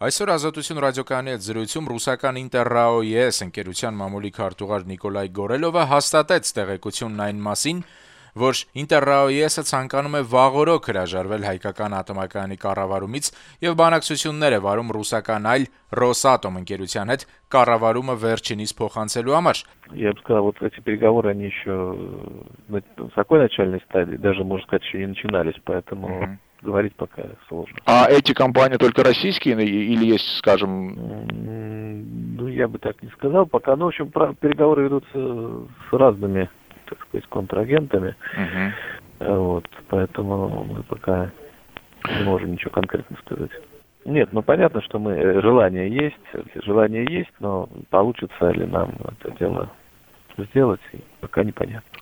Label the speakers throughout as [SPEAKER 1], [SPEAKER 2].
[SPEAKER 1] Այսօր Ազատություն ռադիոկայանի հետ զրույցում ռուսական Interrao-ES ընկերության մամուլի քարտուղար Նիկոլայ Գորելովը հաստատեց տեղեկությունն այն մասին, որ Interrao-ES-ը ցանկանում է վաղօրոք հրաժարվել հայկական ատոմակայանի կառավարումից եւ բանակցություններ է վարում ռուսական այլ Rosatom ընկերության հետ կառավարումը վերջինիս փոխանցելու համար։
[SPEAKER 2] Я бы сказал, вот эти переговоры, они еще на такой начальной стадии, даже, можно сказать, еще не начинались, поэтому говорить пока сложно.
[SPEAKER 3] А эти компании только российские или есть, скажем...
[SPEAKER 2] Ну, я бы так не сказал. Пока, ну, в общем, переговоры ведутся с разными, так сказать, контрагентами. Вот, поэтому мы пока не можем ничего конкретно сказать. Нет, ну, понятно, что желание есть, но получится ли нам это дело сделать, пока непонятно.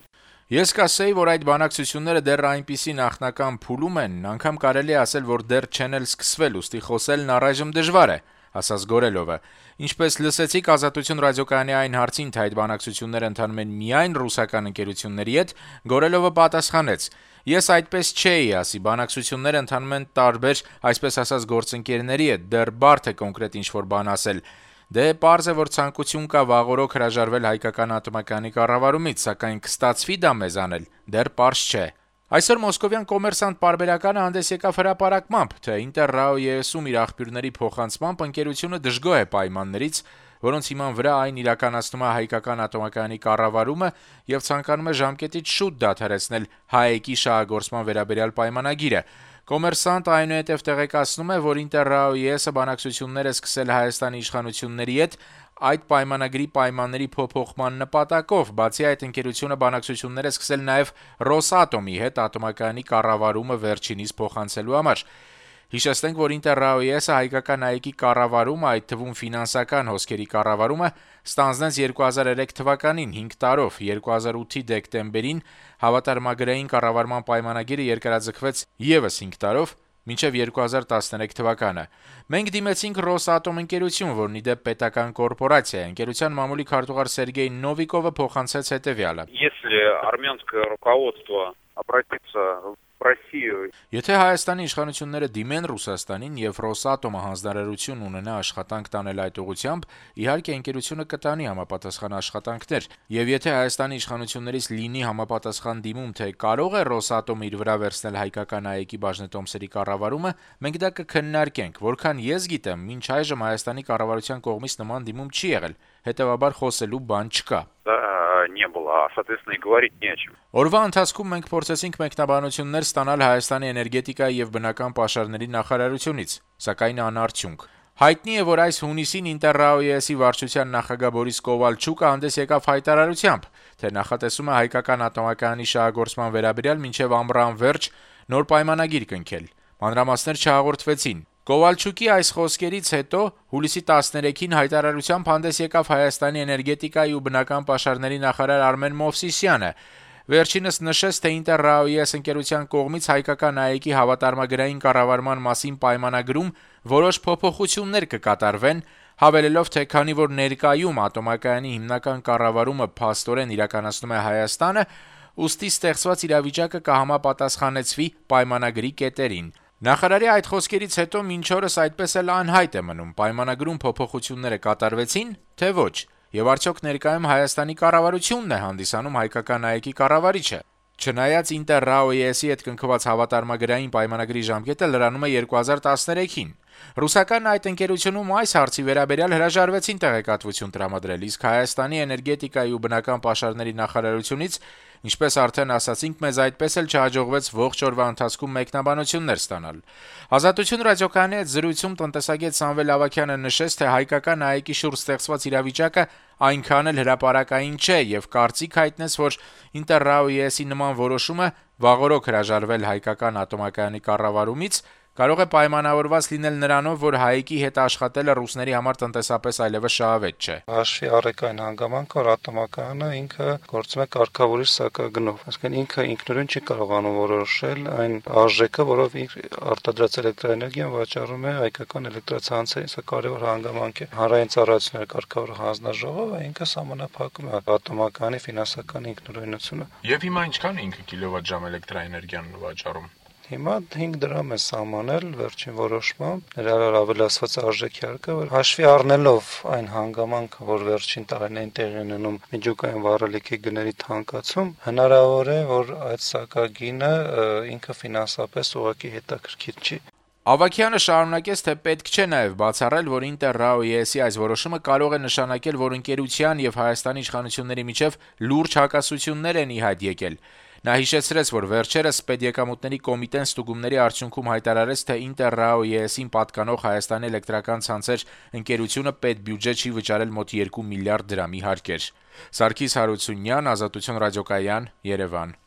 [SPEAKER 1] Ես կասեի, որ այդ բանակցությունները դեռ այնպիսի նախնական փուլում են, անգամ կարելի է ասել, որ դեռ չեն էլ սկսվել, ուստի խոսելն առայժմ դժվար է, ասաց Գորելովը։ Ինչպես լսեցիք Ազատություն ռադիոկայանի այն հարցին, թե այդ բանակցությունները ընթանում են միայն ռուսական ընկերությունների հետ, Գորելովը պատասխանեց. Ես այդպես չէի ասի, բանակցությունները ընթանում են տարբեր, այսպես ասած, գործընկերների հետ, դեռ բարդ է կոնկրետ ինչ-որ բան ասել։ Դե պարզ է, որ ցանկություն կա վաղօրոք հրաժարվել հայկական ատոմակայանի կառավարումից, սակայն կստացվի դա մեզ անել, դեռ պարզ չէ։ Այսօր Մոսկովյան կոմերսանտ պարբերականը հանդես եկավ հրապարակմամբ, թե Interrao-ES-ում իր աղբյուրների փոխանցմամբ ընկերությունը դժգոհ է պայմաններից, որոնց հիման վրա այն իրականացնում է հայկական ատոմակայանի կառավարումը եւ ցանկանում է ժամկետից շուտ դադարեցնել ՀԱԷԿ-ի շահագործման վերաբերյալ պայմանագիրը։ Կոմերսանտը այնուհետև տեղեկացնում է, որ Interrao-ES-ը բանակցություններ է սկսել Հայաստանի իշխանությունների հետ այդ պայմանագրի պայմանների փոփոխման նպատակով, բացի այդ ընկերությունը բանակցություններ է սկսել նաև Rosatom-ի հետ ատոմակայանի կառավարումը վերջինիս փոխանցելու համար։ Հիշեցնենք, որ Interrao-ES-ը հայկական ԱԵԿ-ի կառավարումը, այդ թվում ֆինանսական հոսքերի կառավարումը ստանձնեց 2003 թվականին 5 տարով, 2008-ի դեկտեմբերին հավատարմագրային կառավարման պայմանագիրը երկարաձգվեց եւս 5 տարով, մինչև 2013 թվականը։ Մենք դիմեցինք Rosatom ընկերություն, որն ի դեպ պետական կորպորացիա է։ Ընկերության մամուլի քարտուղար Սերգեյ Նովիկովը փոխանցեց հետևյալը.
[SPEAKER 4] Если армянское руководство обратится в Россию.
[SPEAKER 1] Եթե Հայաստանի իշխանությունները դիմեն Ռուսաստանին եւ Rosatom-ը հանձնարարություն ունենա աշխատանք տանել այդ ուղղությամբ, իհարկե ընկերությունը կտանի համապատասխան աշխատանքներ, եւ եթե Հայաստանի իշխանություններից լինի համապատասխան դիմում, թե կարող է Rosatom-ը իր վրա վերցնել հայկական ԱԵԿ-ի բաժնետոմսերի կառավարումը, մենք դա կքննարկենք, որքան ես գիտեմ, մինչ այժմ Հայաստանի կառավարության կողմից նման դիմում չի եղել, հետեւաբար խոսելու բան չկա։
[SPEAKER 4] Не было, соответственно, и говорить не о чем.
[SPEAKER 1] Օրվա ընթացքում մենք փորձեցինք մեկնաբանություններ ստանալ Հայաստանի էներգետիկայի եւ բնական պաշարների նախարարությունից, սակայն անարդյունք։ Հայտնի է, որ այս հունիսին Interrao-ES-ի վարչության նախագահ Բորիս Կովալչուկը հանդես եկավ հայտարարությամբ, թե նախատեսում է հայկական ատոմակայանի շահագործման վերաբերյալ մինչև ամռան վերջ նոր պայմանագիր կնքել։ Մանրամասներ չհաղորդվեցին։ Կովալչուկի այս խոսքերից հետո հուլիսի 13-ին հայտարարությամբ հանդես եկավ Հայաստանի էներգետիկայի ու բնական պաշարների նախարար Արմեն Մովսիսյանը։ Վերջինս նշեց, թե Interrao-ES ընկերության կողմից հայկական ԱԵԿ-ի հավատարմագրային կառավարման մասին պայմանագրում որոշ փոփոխություններ կկատարվեն, հավելելով, թե քանի որ ներկայում ատոմակայանի հիմնական կառավարումը փաստորեն իրականացնում է Հայաստանը, ուստի ստեղծված իրավիճակը կհամապատասխանեցվի պայմանագրի կետերին։ Նախարարի այդ խոսքերից հետո մինչ օրս այդպես էլ անհայտ է մնում, պայմանագրում փոփոխությունները կատարվեցին, թե ոչ, եւ արդյոք ներկայում Հայաստանի կառավարությունն է հանդիսանում հայկական ԱԵԿ-ի կառավարիչը։ Չնայած Interrao-ES-ի հետ կնքված հավատարմագրային պայմանագրի ժամկետը լրանում է 2013-ին։ Ռուսական այդ ընկերությունում այս հարցի վերաբերյալ հրաժարվեցին տեղեկատվություն տրամադրել, իսկ Հայաստանի էներգետիկայի ու բնական պաշարների նախարարությունից, ինչպես արդեն ասացինք, մեզ այդպես էլ չհաջողվեց ողջ օրվա ընթացքում մեկնաբանություններ ստանալ։ Ազատություն ռադիոկայանի հետ զրույցում տնտեսագետ Սամվել Ավագյանը նշեց, թե հայկական ԱԵԿ-ի շուրջ ստեղծված իրավիճակը այնքան էլ հրապարակային չէ եւ կարծիք հայտնեց, որ Interrao-ES-ի նման որոշումը վաղօրոք հրաժարվել հայկական ատոմակայանի կառավարումից կարող է պայմանավորված լինել նրանով, որ ՀԱԵԿ-ի հետ աշխատելը ռուսների համար տնտեսապես այլևս շահավետ չէ։
[SPEAKER 5] Հաշվի առեք այն հանգամանքը, որ ատոմակայանը ինքը գործում է կարգավորիչ սակագնով, այսինքն ինքը ինքնուրույն չի կարողանում որոշել այն արժեքը, որով արտադրած էլեկտրաէներգիան վաճառում է հայկական էլեկտրացանցերին, սա կարևոր հանգամանք է։ Հանրային ծառայությունների կարգավորող հանձնաժողովը ինքը սահմանափակում է ատոմակայանի ֆինանսական ինքնուրույնությունը։
[SPEAKER 1] Եվ հիմա ինչքան է ինքը կիլովատժամ էլեկտրաէներգիան վաճառում։
[SPEAKER 5] Հիմա 5 դրամ է սահմանել վերջին որոշմամբ, ներառյալ ավելացված արժեքի հարկը, որ հաշվի առնելով այն հանգամանքը, որ վերջին տարիներին տեղի ունենում միջուկային վառելիքի գների թանկացում, հնարավոր է, որ այդ սակագինը ինքը ֆինանսապես ուղղակի հետաքրքիր չի։
[SPEAKER 1] Ավագյանը շարունակեց, թե պետք չէ նաև բացառել, որ Ինտերրաո-ԵՍ-ի այս որոշումը կարող է նշանակել, որ ընկերության եւ Հայաստանի իշխանությունների միջև լուրջ հակասություններ են ի հայտ եկել։ Նա հիշեցրեց, որ վերջերս Պետեկամուտների կոմիտեն ստուգումների արդյունքում հայտարարեց, թե Ինտերրաո-ԵՍ-ին պատկանող Հայաստանի էլեկտրական ցանցեր ընկերությունը պետբյուջե չի վճարել մոտ 2 միլիարդ դրամի հարկեր։ Սարգիս Հարությունյան, Ազատություն ռադիոկայան, Երևան։